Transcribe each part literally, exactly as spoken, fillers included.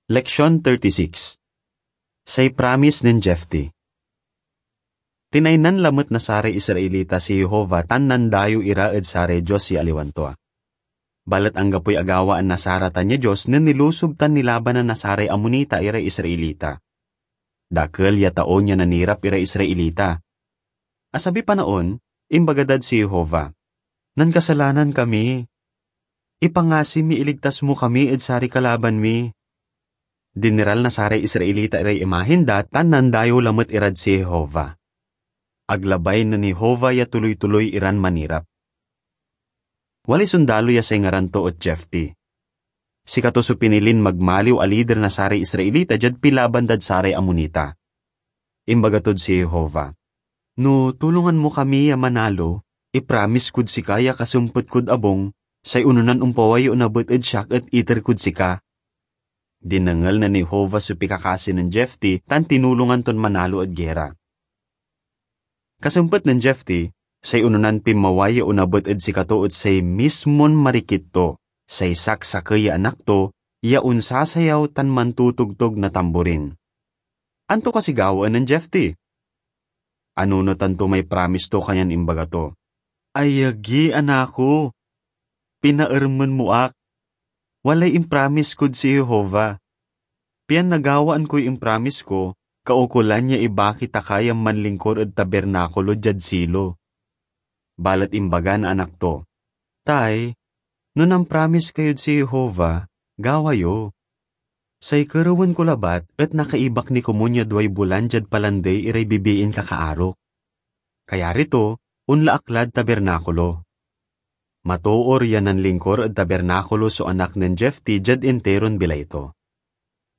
Leksyon thirty-six. Say Pramis nen Jefte. Tinaynan lamet na saray Israelita si Jehovah tan nandayew ira ed saray dios ya aliwan tua. Balet anggapoy agawaan na saratan ya dios nen nilusob tan nilabanan na saray Amonita iray Israelita. Dakel ya taon ya nanirap iray Israelita. Asabiy panaon, imbaga dad si Jehovah, "Nankasalanan kami. Ipangasi mi iligtas mo kami ed saray kalaban mi." Dineral na saray Israelita iray imahen da tan nandayew lamet irad si Jehovah. Ag labay nen Jehovah ya tuloy-tuloy iran manirap. Walay sondalo ya say ngaran to et Jefte. Sikato so pinilin magmaliw a lider na saray Israelita diad pilaban dad saray Amonita. Imbaga tod si Jehovah, "No tulongan mo kami ya manalo, ipramis kod sika ya kasempet kod abung, say ononan ompaway ya onabet ed siak et iter kod sika." Dinengel nen Jehovah so pikakasi nen Jefte tan tinulongan ton manalo ed gera. Kasempet nen Jefte, say ononan pinmaway ya onabet ed sikato et say mismon marikit to, say saksakey ya anak to, ya onsasayaw tan mantotogtog na tamborin. Anto kasi gawaen nen Jefte? Anunotan to may pramis to, kanyan imbaga to, "Ayagi, anako! Pinaermen mo ak! Walay impramis kod si Jehovah, pian nagawaan koy impramis ko, kaukolan ya ibaki ta ka ya manlingkor ed tabernakulo diad Silo." Balet imbaga na anak to, "Tay, no nampramis kayod si Jehovah, gawa yo. Say kerewen ko labat et nakaibak ni komun ya duay bulan diad palandey iray bibiin kakaarok." Kayari to, onla ak lad tabernakulo. Matoor ya nanlingkor ed tabernakulo so anak nen Jefte diad interon bilay to.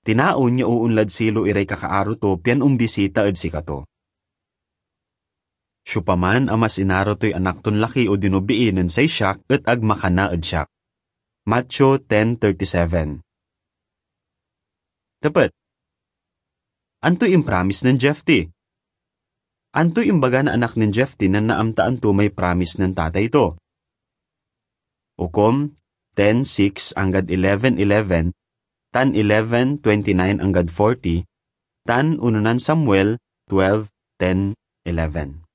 Tinaon ya oonlad Silo iray kakaaro to pian ombisita ed sikato. Siopaman a mas inaro toy anak ton laki odino bii nen say siak et ag makana ed siak. Mateo ten thirty-seven. Tepet. Antoy impramis nen Jefte? Antoy imbaga na anak nen Jefte nen naamtaan to may pramis nen tatay to? Hukom ten six anggad eleven eleven, tan eleven twenty-nine anggad forty, tan unonan Samuel twelve ten eleven.